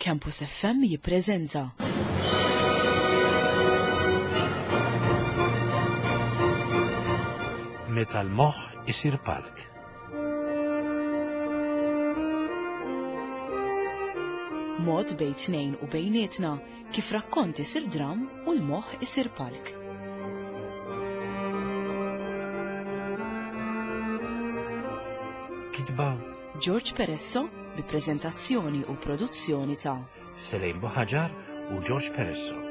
Campus FM jippreżenta. Meta l-moħħ isir palk. Mod bejn tnejn u bejnietna kif rakkont isir dram u l-moħħ isir palk. Kitba George Peresso bi preżentazzjoni u produzzjoni ta' Selejn Buħaġar u George Peresso.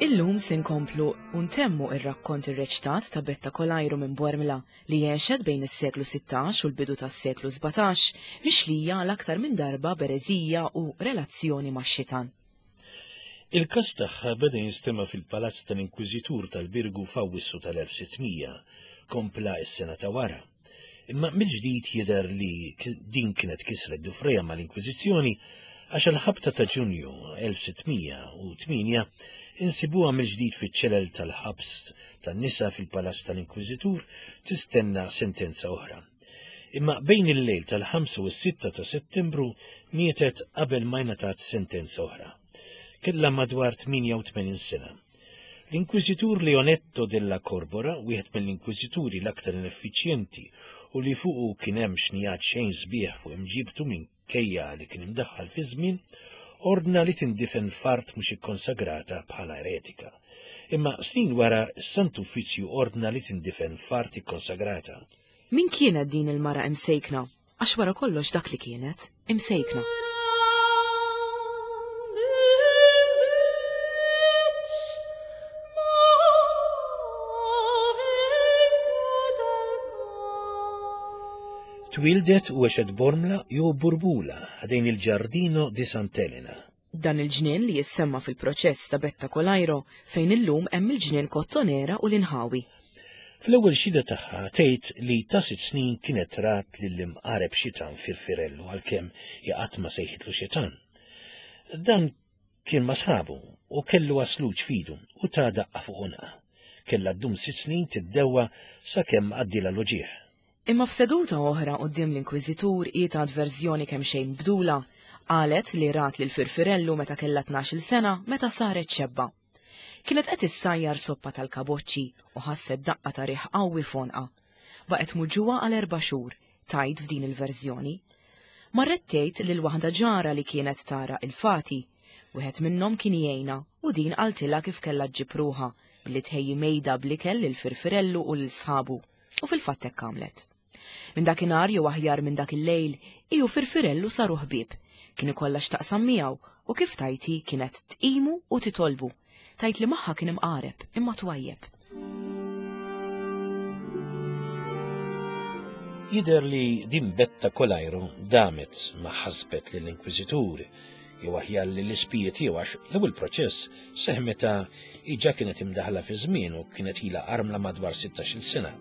Illum se nkomplu u ntemmu ir-rakkont irreċtat ta' Betta Kolajru minn Bormla li għexet bejn is-seklu 16 u l-bidu tas-seklu 17, mixlija għal aktar minn darba b'ereżija u relazzjoni max-xitan. Il-każ tagħha beda jinstema' fil-Palazz tal-Inkwiżitur tal-Birgu f'Awwissu tal-1600, kompla s-sena ta' wara. Imma mill-ġdid jidher li din kienet kisret dufrejha mal-Inkwiżizzjoni għax għall-ħabta ta' Ġunju 1608 insibuha mill-ġdid fiċ-ċelel tal-ħabs tan-nisa fil-Palazz tal-Inkwiżitur tistenna sentenza oħra. Imma bejn il-lejl tal-5 u s-6 ta' Settembru mietet qabel ma ngħatat sentenza oħra. Kellha madwar 88 sena. L-Inkwiżitur Leonetto della Corbora, wieħed mill-inkwiżituri l-aktar ineffiċjenti u li fuqu kien hemm xnijat xejn sbieħ fuq imġibtu minkejja li kien imdaħħal fiż-żmien, ordna li tindifen f'art mhux ikkonsagrata bħala eretika. Imma snin wara s-Sant Uffiċċju ordna li tindifen f'art ikkonsagrata. Min kienet din il-mara imsejkna? Għax wara kollox dak li kienet, imsejkna. Twieldet u għexet Bormla jew Burbula ħdejn il-Giardino di Sant'Elena. Dan il-ġnien li jissemma fil-proċess ta' Betta Colairo fejn illum hemm il-ġnien Kottonera u l-inħawi. Fl-ewwel xhieda tagħha tgħid li ta' sitt snin kienet rat lill-imqareb xitan Firfirellu għalkemm hi qatt ma sejħitlu xitan. Dan kien ma' sħabu u kellu għasluġ f'idu u ta daqqa fuq għonqha. Kellha ddum sitt snin tiddewwa sakemm għaddielha l-uġigħ. Imma f'seduta oħra quddiem l-Inkwiżitur hi tat verżjoni kemxejn mibdula. Qalet li rat lil Firfirellu meta kellha tnax-il sena meta saret xebba. Kienet qed issajjar soppa tal-kaboċċi u ħasset daqqa ta' riħ qawwi f'għonqha. Baqgħet muġugħa għal erba' xhur, tgħid f'din il-verżjoni. Marret tgħid lil waħda ġara li kienet tara il-fati. Wieħed minnhom kien jgħinha u din qaltilha kif kellha ġġib ruħha billi tħejji mejda bl-ikel lil Firfirellu u lil sħabu. U fil-fatt hekk għamlet. Minn dakinhar jew aħjar minn dak il-lejl, hi u Firfirellu saru ħbieb. Kien ikollha x'taqsam miegħu u kif tgħid hi kienet tqimu u titolbu. Tgħid li magħha kien imqareb imma twajjeb. Jidher li din Betta Colajro damet ma ħasbet lill-Inkwiżitur jew aħjar lill-ispiji tiegħu għax l-ewwel proċess seħħ meta hi ġa kienet imdaħħla fiż-żmien u kienet ilha armla madwar sittax-il sena.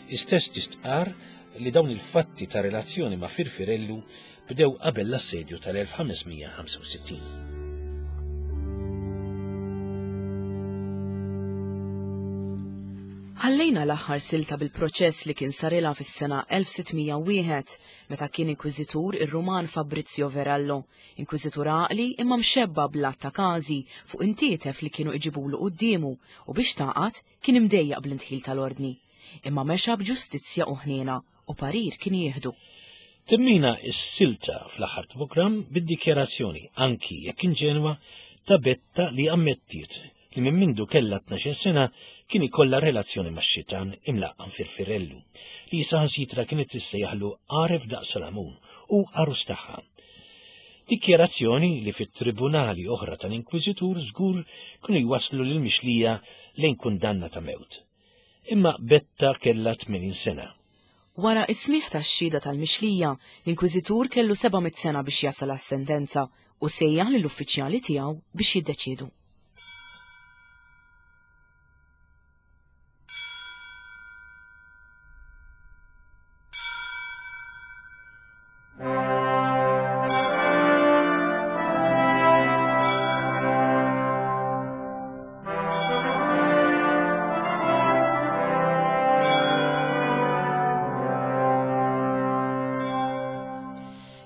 Hi stess tistqarr li dawn il-fatti ta' relazzjoni ma' Firfirellu bdew qabel l-assedju tal-1565. Ħallejna l-aħħar silta bil-proċess li kien sarilha fis-sena 1601 meta kien inkwiżitur ir-Ruman Fabrizio Verallo, inkwiżitur għaqli imma mxebba bl-għadd ta' każi fuq intietef li kienu iġibulu quddiemu u biex tagħqad kien imdejjaq bl-indħil tal-Ordni. Imma mexa b'ġustizzja u ħniena u parir kien jieħdu. Temmina s-silta fl-aħħar programm bid-dikjarazzjoni, anki jekk inġenwa, ta' Betta li ammettiet li minn mindu kellha 12 sena kien ikollha relazzjoni max-xitan imlaqqam Firfirellu, li saħansitra kienet tissejjaħlu għaref daqs Salamun u għarus tagħha. Dikjarazzjoni li fit-tribunali oħra tal-Inkwiżitur żgur kienu jwasslu lill-mixlija lejn kundanna ta' mewt. Imma Betta kellha 80 sena. Wara s-smigħ tax-xhieda tal-mixlija, l-Inkwiżitur kellu 700 sena biex jasal għas-sentenza u sejjaħ lill-uffiċjali tiegħu biex jiddeċiedu.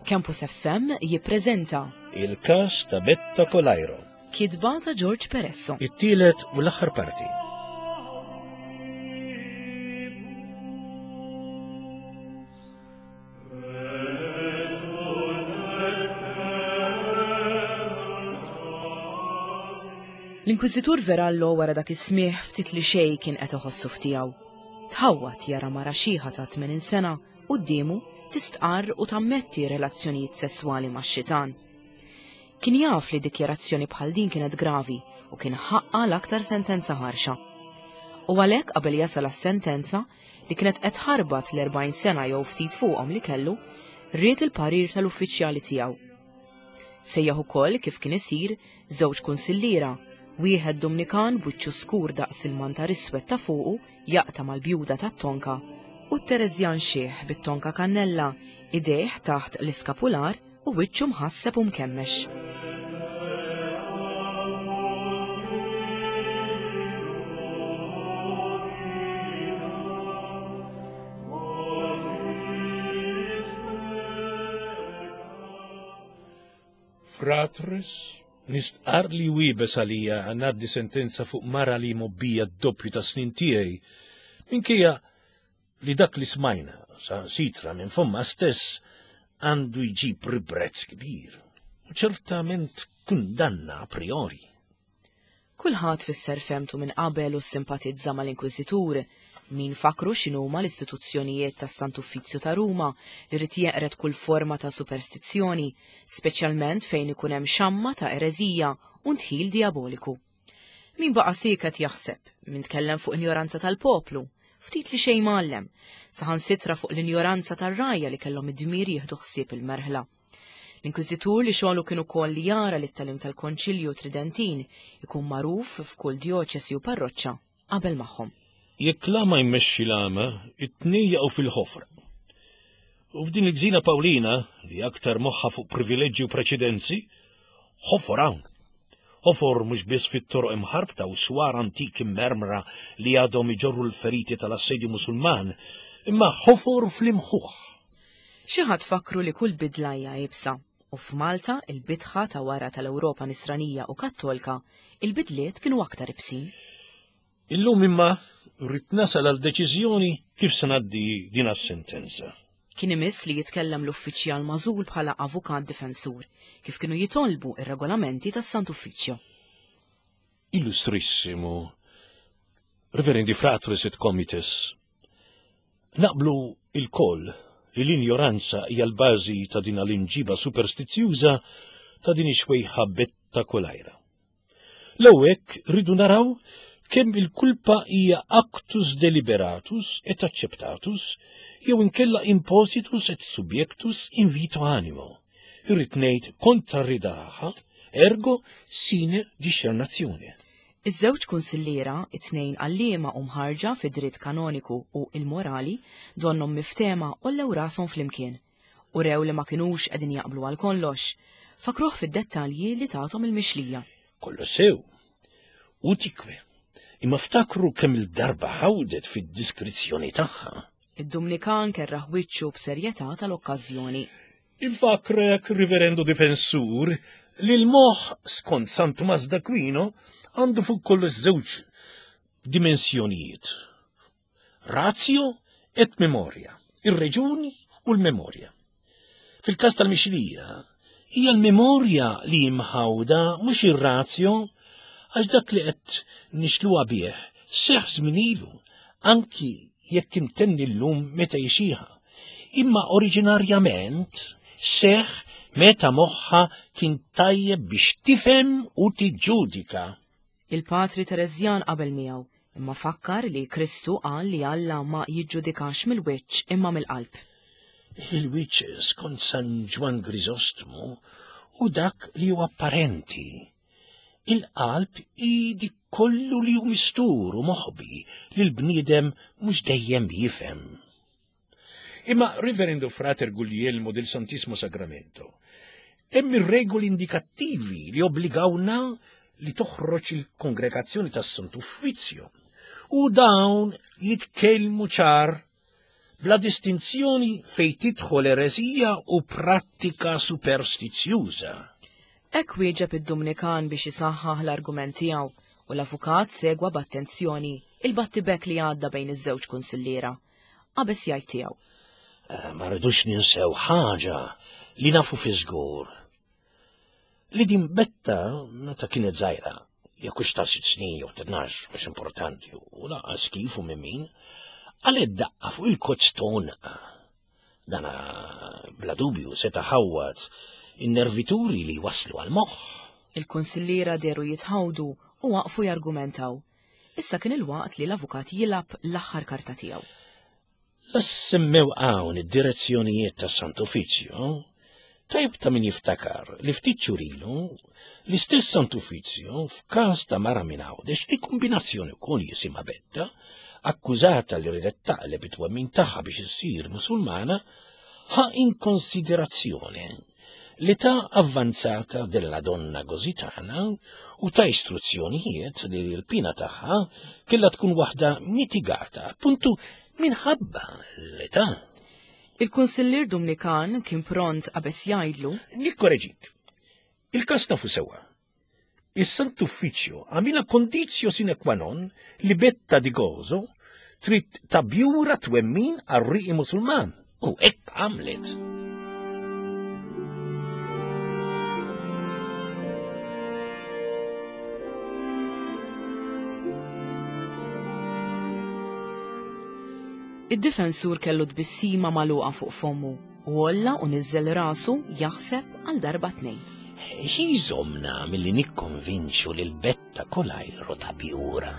Campus FM jippreżenta Il-każ ta' Betta Colajro. Kitba ta' George Peresso. It-tielet u l-aħħar parti. L-Inkwiżitur Verallo wara dak is-smigħ ftit li xejn kien qed iħossu f'tiegħu. Tħawwad jara mara xiħa ta' 80 sena quddiemu tistqarr u tammetti relazzjonijiet sesswali max-xitan. Kien jaf li dikjarazzjoni bħal din kienet gravi u kien ħaqqa l-aktar sentenza ħarxa. U għalhekk qabel jasal għas-sentenza li kienet qed ħarbat l-40 sena jew ftit fuqhom li kellu, ried il-parir tal-uffiċjali tiegħu. Sejjaħ ukoll kif kien isir żewġ kunsilliera, wieħed Dumnikan b'wiċċu skur daqs il-mantar iswed ta' fuqu jaqta' mal-bjuda tat-tonka, u t-Tereżjan xiħ bit-tonka kannella, idejh taħt l-iskapular u wiċċu mħasseb u mkemmex. Fratres, nistqarr li wiebes għalija ngħaddi sentenza fuq mara li mobbija d-doppju ta' snin tiegħi, minkejja li dak li smajna sa sitra minn fomma stess għandu jġib ribrezz kbir, u ċertament kundanna a priori. Kulħadd fisser fehmtu minn qabel u ssimpatizza mal-Inkwiżitur. Min fakkru x'inhuma l-istituzzjonijiet tas-Sant'Uffizzju ta' Ruma li ried jeqred kull forma ta' superstizzjoni, speċjalment fejn ikun hemm xamma ta' ereżija u ndħil dijaboliku. Min baqa' sieket jaħseb, min tkellem fuq injoranza tal-poplu, ftit li xejn mgħallem, saħansitra fuq l-injoranza tar-rgħajja li kellhom id-dmir jieħdu ħsieb il-merħla. L-Inkwiżitur li xogħlu kien ukoll li jara li t-tagħlim tal-Konċilju Tridentin ikun magħruf f'kull djoċesi u parroċċa qabel magħhom. Jekk l-għama jmexxi l-għama, it-tnejn jaqgħu fil-ħofra. U f'din il-gżina Pawlina, li aktar moħħha fuq privileġġi u preċedenzi, ħofor hawn. Ħofor mhux biss fit-toroq imħarbta u swar antiki mmermra li għadhom iġorru l-feriti tal-assedju Musulman, imma ħofor fl-imħuħ. Xi ħadd fakkru li kull bidla hija iebsa, u f'Malta, il-bitħa ta' wara tal-Ewropa Nisranija u Kattolka, il-bidliet kienu aktar ibsin. Illum imma rrid nasal għal deċiżjoni kif se ngħaddi din as-sentenza. Kien imiss li jitkellem l-uffiċjal magħżul bħala avukat difensur, kif kienu jitolbu r-regolamenti tas-Sant'Uffiċċju. Illustrissimu, Reverendi Fratres et Comites, Naqblu ilkoll li l-injoranza hija l-bażi ta' din l-imġiba superstizzjuża ta' din ix-xwejħa Betta Colajra. L-ewwel hekk rridu naraw kemm il-kulpa hija actus deliberatus et acceptatus jew inkella impositus et subjectus in vito animo, irrid ngħid kontra r-ridaha, ergo sine discernatione. Iż-żewġ kunsilliera, it-tnejn għalliema u mħarrġa fid-dritt kanoniku u l-morali, donnhom miftehma għollew rashom flimkien. Urew li ma kinux qegħdin jaqblu għal kollox. Fakkruh fid-dettalji li tathom il-mixlija. Kollox sew. Utique. Imma ftakru kemm-il darba ħawdet fid-diskrizzjoni tagħha. Id-Dumnikan kerraħ wiċċu b'serjetà tal-okkażjoni. Infakkrek, Riverendo Difensur, li l-moħħ, skont San Tumas d'Aquino, għandu fuq kollox żewġ dimensjonijiet. Ratio et memoria, ir-reġuni u l-memorja. Fil-każ tal-mixlija, hija l-memorja li mħawda mhux ir-ratio għax dak li qed nixluha bih seħħ żmien ilu, anki jekk imtenni llum meta jixieha, imma oriġinarjament seħħ meta moħħha kien tajjeb biex tifhem u tiġġudika. Il-Patri Tereżjan qabel miegħu, imma fakkar li Kristu qal li Alla ma jiġġudikax mill-wiċċ imma mill-qalb. Il-wiċċ skont San Ġwann Griżostmu hu dak li hu apparenti. Il-qalb hi dik kollu li hu mistur u moħbi li l-bniedem mhux dejjem jifhem. Imma Reverendo Frater Guglielmo del Santissimo Sacramento, hemm ir-regoli indikattivi li obbligawna li toħroġ il-kongregazzjoni tas-Santu Uffizzju. U dawn jitkellmu ċar. bla distinzjoni fejn tidħol ereżija u prattika superstizzjuża. Hekk wieġeb id-Dumnikan biex isaħħaħ l-argument tiegħu u l-avukat segwa b'attenzjoni il-battibekk li għadda bejn iż-żewġ kunsilliera. Qabeż jgħid tiegħu. Eh, ma rridux ninsew ħaġa li nafu fi żgur. Li din Betta meta kienet żgħira, jekk hux ta' sitt snin jew tnax, mhux importanti, u lanqas kif u minn min, qalgħet daqqa fuq il-kozz t'għonqha. Dana bla dubju seta' ħawwad in-nervituri li jwasslu għall-moħħ. Il-kunsilliera dehru jitħawdu u waqfu jargumentaw. Issa kien il-waqt li l-avukat jilgħab l-aħħar karta tiegħu. La ssemmew hawn id-direzzjonijiet tas-Sant'Uffiċċju, tajjeb ta' min jiftakar li ftit xhur ilu l-istess Sant'Uffiċċju f'każ ta' mara minn Għawdex li kombinazzjoni wkoll jisimha Betta, akkużata li riedet taqleb it-twemmin tagħha biex issir Musulmana, ħa in konsiderazzjoni l-età avvanzata della donna Gozitana u ta istruzzjonijiet li l-pina tagħha kellha tkun waħda mitigata, appuntu minħabba l-età. Il-Kunsillier Dumnikan kien pront qabeż jgħidlu. Nikkoreġik. Il-każ nafu sewwa. Is-Sant'Uffiċċju għamilha conditio sine qua non li Betta di Gozo trid tabjura twemmin għar-riqi Musulman u hekk għamlet. Id-difensur kellu tbissima magħluqa fuq fommu. U għolla u niżżel rasu jaħseb għal darba tnejn. Xi jżommna milli nikkonvinċu lil Betta Colajro ta' Bjura?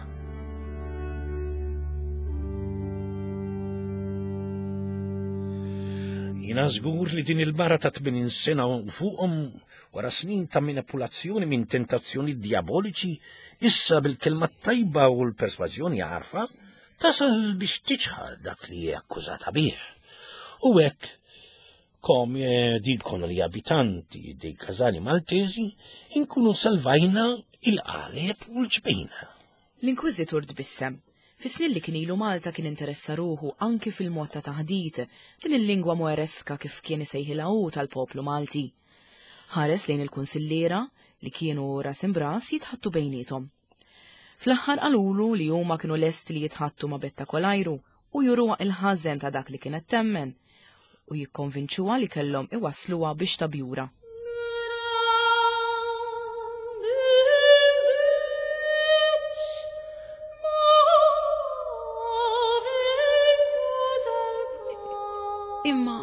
Jiena żgur li din il-mara ta' 80 sena u fuqhom wara snin ta' manipulazzjoni minn tentazzjoni diaboliċi, issa bil-kelma tajba u l-persważjoni għarfa, tasal biex tiċħad dak li hi akkużata bih. U hekk, come dicono gli abitanti dei casali maltesi, inkunu salvajna il-qaleb u l-ġbejna. L-Inkwiżitur tbissem. Fis-snin li kien ilu Malta kien interessa ruħu anki fil-mod ta' taħdit, din il-lingwa moereska kif kien isejħilha hu tal-poplu Malti. Ħares lejn il-kunsilliera li kienu ras imbras jitħattu bejniethom. Fl-aħħar qalulu li huma kienu lesti li jitħattu ma' Betta Kolajru u juruha il-ħażen ta' dak li kienet temmen u jikkonvinċuha li kellhom iwassluha biex tabjura. Imma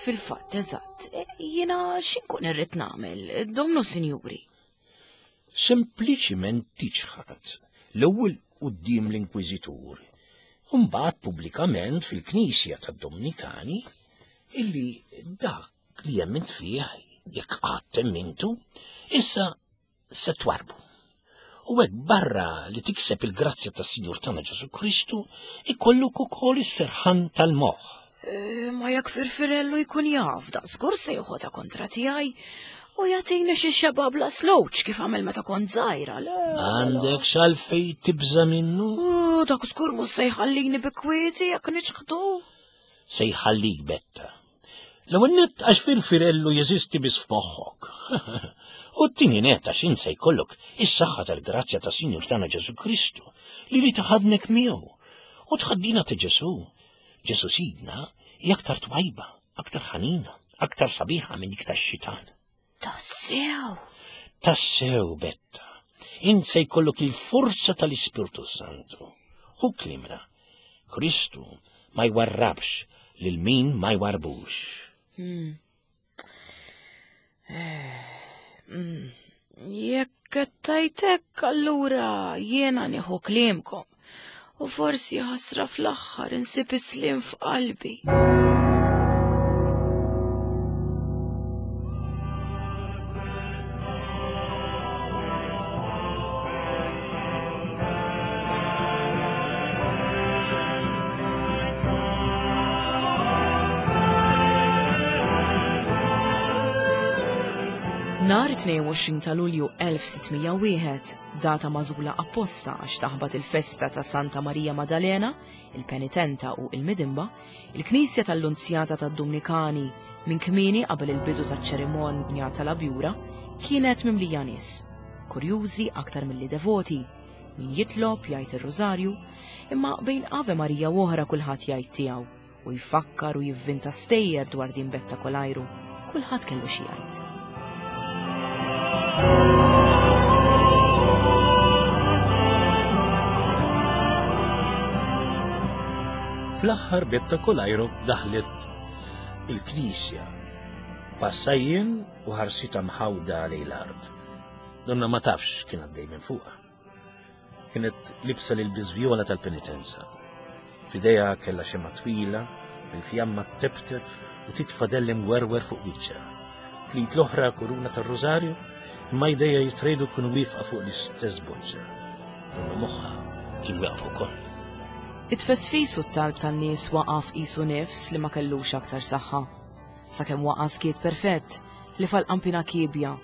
fil-fatt eżatt, jiena x'inkun irrid nagħmel, domnu sinjuri? Sempliċiment tiċħad, l-ewwel quddiem l-Inkwiżitur, u mbagħad pubblikament fil-Knisja tad-Dominikani, illi dak li emmint fih, jekk qatt emmintu, issa se twarrbu. U hekk barra li tikseb il-grazzja tas-Sinjur tagħna Ġesù Kristu, ikollok ukoll is-serħan tal-moħħ. Eh, ma jekk Firfirellu jkun jaf, da żgur se joħodha kontra tiegħi u jagħtini xi xeba bla slowċ kif għamel meta kont żgħira. Għandek xalfej tibża minnu? Dak żgur mhux se jħallini bi kwieti jekk niċħdu. Se jħallik betta. L-ewwel nett għax Firfirellu jeżisti biss f'moħħok. U t-tieni nett għax int se jkollok is-saħħa tal-grazzja ta' Sinjur tagħna Ġesù Kristu li li taħadnek miegħu u tħaddina ta' Ġesù Ġesù Sidna hi aktar twajba, aktar ħanina, aktar sabiħa minn dik tax-xitan. Tassew! Tassew, Betta. Int se jkollok il-forza tal-Ispirtu Santu. Hu klimna. Kristu ma jwarrabx lil min ma jwarbux. Hmm. Jekk qed tgħid hekk allura jiena nieħu kliemkom u forsi ħasra fl-aħħar insib is-sliem f'qalbi. Nhar 22 ta' Lulju 1601, data magħżula apposta għax taħbat il-festa ta' Santa Marija Madalena, il-Penitenta u il-Midimba, il-Knisja tal-Lunzjata tad-Dumnikani minn kmieni qabel il-bidu taċ-ċerimonja tal-abjura kienet mimlija nies, kurjużi aktar milli devoti, min jitlob jgħid ir-Rużarju, imma bejn Ave Marija u oħra kulħadd jgħid tiegħu u jfakkar u jivvinta stejjer dwar din Betta Kolajru. Kulħadd kellu xi jgħid. Fl-aħħar Betta Kolajru daħlet il-knisja passajjien u ħarsita mħawda lejn l-art. Donna ma tafx kien għaddej minn fuqha. Kienet libsa l-ilbies vjola tal-penitenza. F'idejha kellha xemgħa twila, bil-fjamma tteptep u titfa' dell imwerwer fuq wiċċha. Fl-id l-oħra kuruna tar-rużarju, imma jdejha jitrejdu kienu wieqfa fuq l-istess boċċa. Donnu moħħha kien wieqaf ukoll. It-tfesfis u t-talb tan-nies waqaf qisu nifs li ma kellux aktar saħħa. Sakemm waqa' skiet perfett li fal-qampina kiebja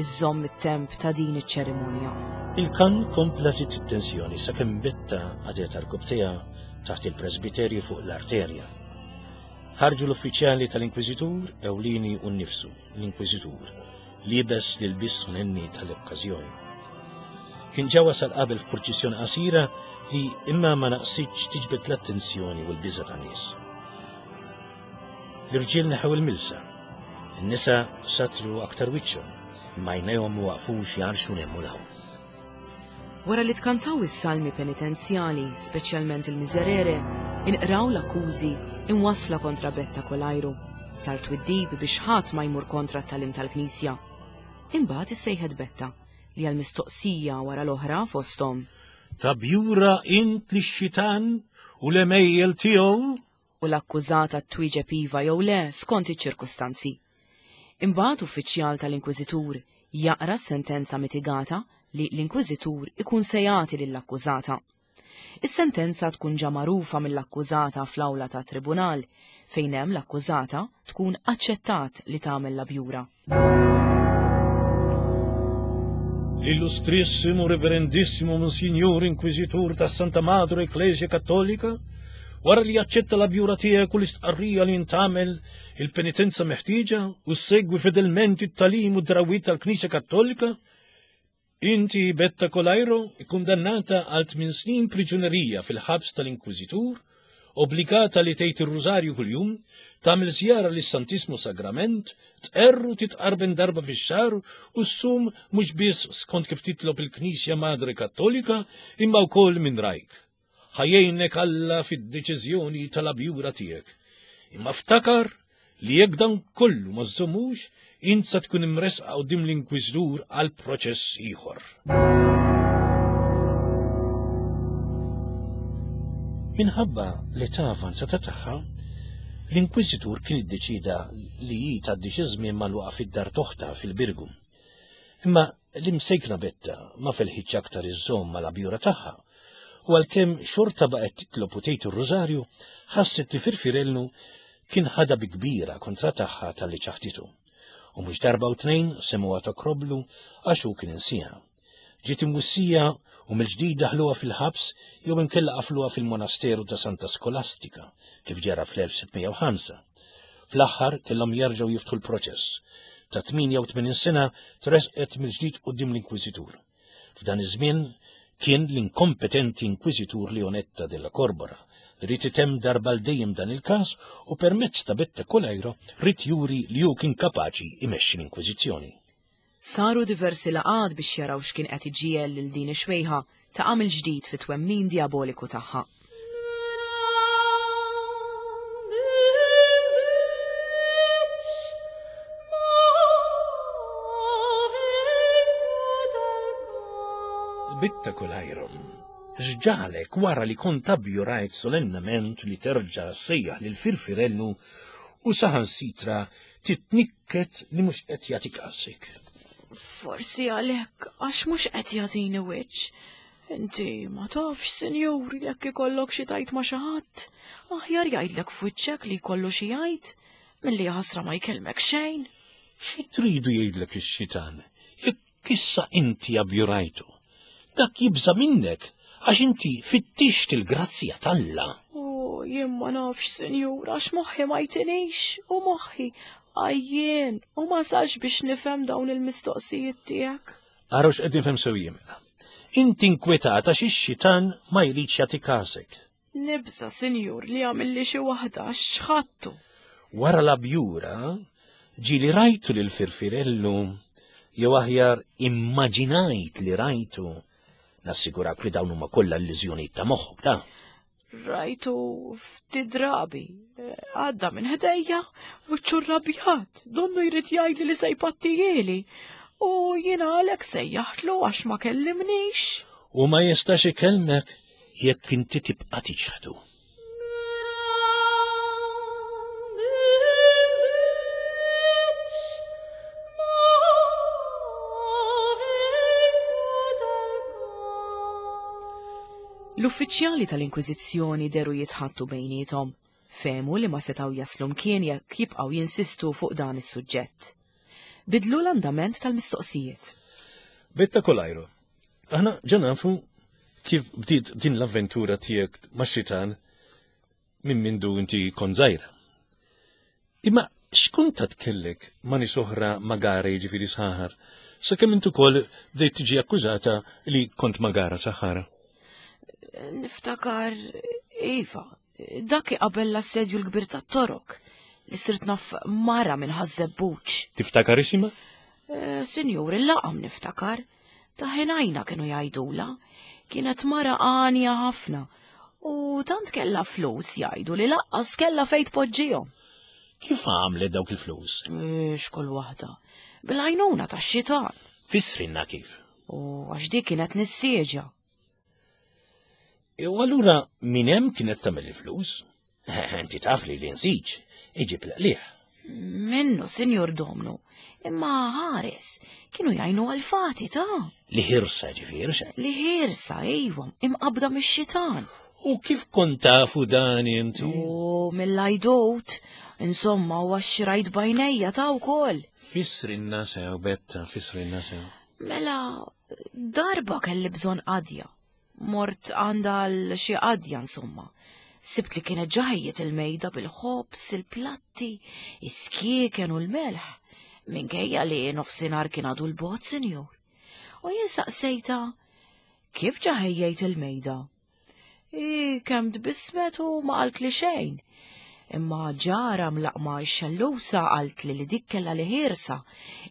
iżżomm it-temp ta' din iċ-ċerimonja. Il-kan kompla żied it-tensjoni sakemm Betta għadet għarkupptejha taħt il-presbiterju fuq l-arterja. Ħarġu l-uffiċjali tal-Inkwiżitur ewlieni u nnifsu, l-Inkwiżitur, liebes l-ilbies solenni tal-okkażjoni. Kien ġa wasal qabel f'purċissjoni qasira li imma ma naqsitx tiġbed l-attenzjoni u l-biża' ta' nies. L-irġiel neħew il-milsa. In-nisa satru aktar wiċċhom, imma għajnejhom ma waqfux jgħarxu 'l hemm u 'l hawn. Wara li tkantaw is-salmi penitenzjali, speċjalment il-Miserere, inqraw l-akkużi imwassla kontra Betta Kolajru. Sar twiddib biex ħadd ma jmur kontra t-tagħlim tal-Knisja. Imbagħad issejħet Betta, li għal mistoqsija wara l-oħra fosthom. Tabjura int lix-xitan u l-għemejjel tiegħu? u l-akkużata twieġeb iva jew le skont iċ-ċirkustanzi. Imbagħad uffiċjal tal-inkwiżitur jaqra s-sentenza mitigata li l-inkwiżitur ikun se jagħti lill-akkużata. Is-sentenza tkun ġa magħrufa mill-akkużata fl-awla tat-tribunal fejn hemm l-akkużata tkun aċċettat li tagħmel l-abjura. L-Illustrissimu Reverendissimo Monsignor Inkwiżitur tas-Santa Madre Ecclesia Kattolika, wara li jaċċetta l-abjura tiegħek u l-istqarrija li intagħmel il-penitenza meħtieġa u ssegwi fedelment it-tagħlim u d-drawwiet tal-Knisja Kattolika, Inti, Betta Colairo, ikkundannata għal tmien snin priġunerija fil-ħabs tal-Inkwiżitur, obbligata li tgħid ir-Rużarju kuljum, tagħmel żjara lis-Santissmu Sagrament, tqerr u titqarben darba fix-xahar u ssum mhux biss skont kif titlob il-Knisja Madre Kattolika imma wkoll minn rajk. Ħa jgħinek Alla fid-deċiżjoni tal-abjura tiegħek. Imma ftakar li jekk dan kollu ma żżommux, int sa tkun imressqa quddiem l-Inkwiżitur għal proċess ieħor. Minħabba l-età avanzata tagħha, l-Inkwiżitur kien iddeċieda li hi tgħaddi xi żmien magħluqa fid-dar t'oħtha fil-Birgu. Imma l-imsejkna Betta ma felħitx aktar iżżomm mal-abjura tagħha, u għalkemm xorta baqgħet titlob u tgħid ir-rużarju, ħasset li Firfirellu kien ħadha bi kbira kontra tagħha talli ċaħditu. U mhux darba u tnejn semgħuha tokroblu għax hu kien insieha. Ġiet imwissija u mill-ġdid daħluha fil-ħabs jew inkella qafluha fil-monasteru ta' Santa Skolastika, kif ġara fl-1605. Fl-aħħar kellhom jerġgħu jiftħu l-proċess. Ta' 88 sena tressqet mill-ġdid quddiem l-Inkwiżitur. F'dan iż-żmien kien l-inkompetenti Inkwiżitur Leonetta della Corbora li ried itemm darba għal dejjem dan il-każ u permezz ta' Betta Coleiro ried juri li hu kien kapaċi jmexxi l-Inkwiżizzjoni. Saru diversi laqgħat biex jaraw x'kien qed iġiegħel lil din ix-xwejħa taqa' mill-ġdid fit-twemmin dijaboliku tagħha. Bitta Kulajrum, x'ġagħlek wara li kont abjurajt solennament li terġa' ssejjaħ lil Firfirellu u saħansitra titnikket li mhux qed jagħti kasek. Forsi għalhekk għax mhux qed jagħtini wiċċ. Inti ma tafx, sinjur, jekk ikollok xi tajt ma' xi ħadd, aħjar jgħidlek f'wiċċek li jkollu xi jgħid milli ħasra ma jkellmek xejn. Xi tridu jgħidlek ix-xitan? Jekk issa inti abjurajtu, dak jibża' minnek għax inti fittixt il-grazzja t'Alla. U jien ma nafx, Sinjur, għax moħħi ma jtinix u moħħi għajjien u ma sax biex nifhem dawn il-mistoqsijiet tiegħek. Araw x'qed nifhem sew jien mela. Inti inkwetata xi xitan ma jridx jagħti każek. Nibża, sinjur, li għamilli xi waħda għax ċħattu. Wara l-abjura, ġieli rajtu lil Firfirellu, jew aħjar immaġinajt li rajtu. Nassigurak li dawn huma kollha illużjonijiet ta' moħħok ta'. Rajtu ftit drabi, għadda minn ħdejja, wiċċu rrabjat, donnu jrid jgħidli li se jpattijieli. U jiena għalhekk sejjaħtlu għax ma kellimnix. U ma jistax ikellmek jekk inti tibqa' tiċħdu. L-uffiċjali tal-Inkwiżizzjoni deru jitħattu bejniethom. Fehmu li ma setgħu jaslu mkien jekk jibqgħu jinsistu fuq dan is-suġġett. Bidlu l-andament tal-mistoqsijiet. Betta Kolajro, Aħna ġa nafu kif bdiet din l-avventura tiegħek ma' xitan minn mindu inti kont żgħira. Imma x'kuntat kellek ma' nies oħra magara jiġifieri saħar, sakemm inti ukoll bdejt tiġi akkużata li kont magara saħara? Niftakar, iva, dak qabel l-assedju l-kbir tat-Torok li sirt naf mara minn Ħaż-Żebbuġ. Tiftakar isimha? Eh, Sinjur, il-laqam niftakar. Ta' ħenajna kienu jgħidula. Kienet mara għanja ħafna u tant kellha flus jgħidu li laqqas kellha fejn tpoġġihom. Kif għamlet dawk il-flus? Eh, x'kull waħda. Bil-għajnuna tax-xitan. Fissrinna kif? U għax dik kienet nissieġa. E u allura minn hemm kienet tagħmel il-flus? Inti taf li l-insiġ iġib l-qliħ. Minnu, Sinjur Domnu, imma ħares, kienu jgħinu għal-fati ta' Li ħirsa ġifieri xe. Li ħirsa, ejwa, imqabda mix-xitan. U kif kont tafu dan inti? U mill-ajdut, insomma, u għax rajt bajnejja ta' wkoll. Fissrinna sew, Betta, fissrinna sew. Mela, darba kelli bżonn qadja. Mort għandha għal xi qadja insomma. Sibt li kienet ġaħiet il-mejda bil-ħobż, il-platti, is-skieken u l-melħ. Minkejja li nofsinhar kien għadu l-bot, sinjur. U jien saqsejta, kif ġaħejjejt il-mejda? I kemm tbissmet u ma qaltli xejn. Imma ġara mlaqma x-xellusa qaltli li dik kellha li ħiersa,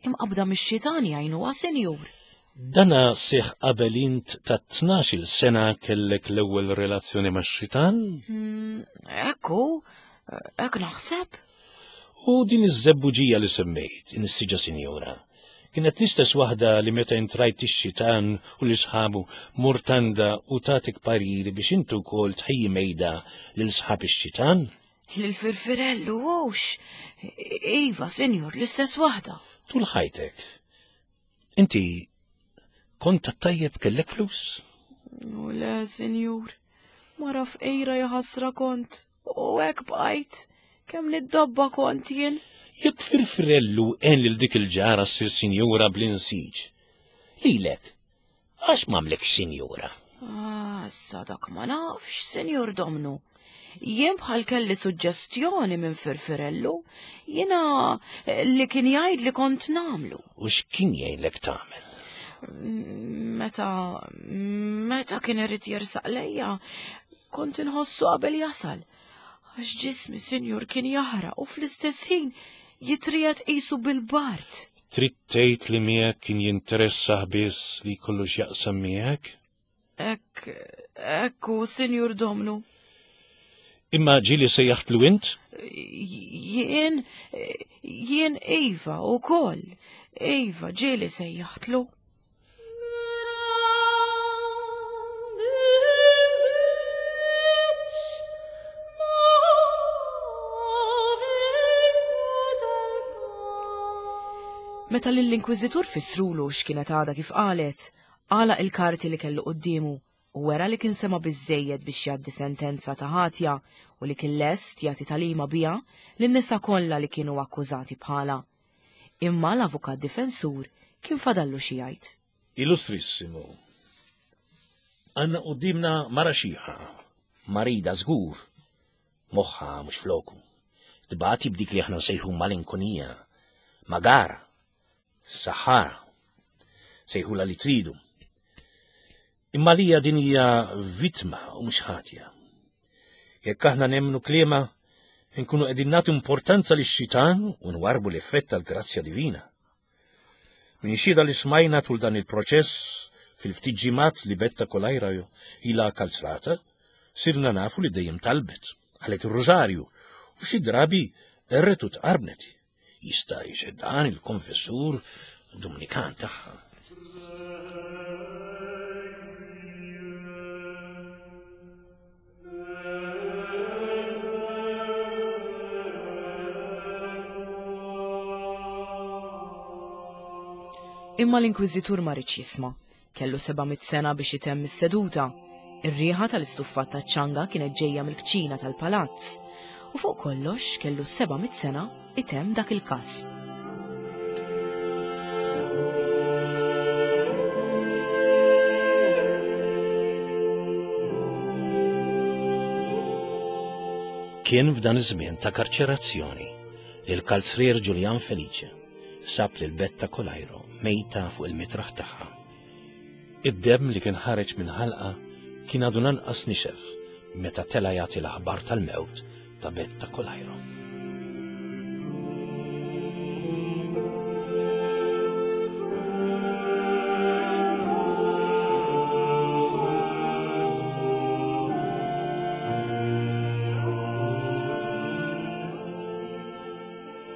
imqabda mix-xitan jgħinuha sinjur. Dana seħħ qabel int ta' tnax-il sena kellek l-ewwel relazzjoni max-xitan? Hmm, ekku, hekk naħseb. U din iż-żebbuġija li semmejt, insiġa sinjura, kienet l-istess waħda li meta int rajt ix-xitan u lil sħabu mort għandha u tatek pariri biex inti wkoll tħejji mejda lil sħab ix-xitan? Lil Firfirellu hux. Iva, sinjur, l-istess waħda. Tul ħajtek, Inti kont tat-tajjeb kellek flus? U le, sinjur, mara fqira jaħasra kont, u hekk bqajt, kemm niddobba kont jien. Jekk firfirellu għen lil dik il-ġara ssir sinjura bl-insiġ. Lilek, għax m'għamlekx sinjura? Ah, issa dak ma nafx, Sinjur Domnu. Jien bħal kelli suġġestjoni minn Firfirellu, jiena eh, li kien jgħid li kont namlu. U x'kien jgħidlek tagħmel? Meta meta kien irid jersaq lejja, kont inħossu qabel jasal. Għax ġismi, Sinjur, kien jaħraq u fl-istess ħin jitrijet qisu bil-bard. Trid tgħid li miegħek kien jinteressah biss li jkollu x'jaqsam miegħek? Hekk, hekk hu, Sinjur Domnu. Imma ġieli sejjaħtlu int? Jien, jien iva wkoll. Iva, ġieli sejjaħtlu. Meta lill-Inkwiżitur fissrulu x'kienet għadha kif qalet, għalaq il-karti li kellu quddiemu u wera li kien sema' biżżejjed biex jgħaddi sentenza ta' ħatja u li kien lest jagħti tagħlima biha lin-nisa kollha li kienu akkużati bħalha. Imma l-avukat difensur kien fadallu xi jgħid. Illustrissimu, għandna quddiemna mara xiħa, marida żgur, moħħha mhux floku. Tbati b'dik li aħna nsejħu malinkonija, magara, saħħara, sejħula li tridu. Imma lija din hija vittma u mhux ħatja. Jekk aħna nemmnu kliema, nkunu qegħdin nagħtu importanza lix-xitan u nwarbu l-effett tal-grazzja divina. Minn xhieda li smajna tul dan il-proċess fil-ftit ġimgħat li Betta Kolajra ilha kalzrata, sirna nafu li dejjem talbet, qalet ir-rużarju u xi drabi erret u tqarbnet. Jista' jixhed dan il-konfessur Dumnikan tagħha. Imma l-Inkwiżitur ma riedx jisma'. Kellu 700 sena biex itemm is-seduta. Ir-riħa tal-istuffat taċ-ċanga kienet ġejja mill-kċina tal-palazz. U fuq kollox kellu 700 sena itemm dak il-każ. Kien f'dan iż-żmien ta' karċerazzjoni li l-kalzrier Ġuljan Felice sab lil Betta Colajro mejta fuq il-mitraħ tagħha. Id-demm li kien ħareġ minn ħalqa kien għadu lanqas nixef meta tela' jagħti l-aħbar tal-mewt ta' Betta Colajro.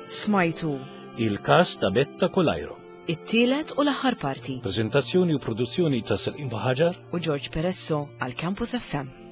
Smajtu. Il-każ ta' Betta Colajro. It-tielet u l-aħħar parti. Preżentazzjoni u produzzjoni ta' Selqim Ħaġar u George Peresso għal Campus FM.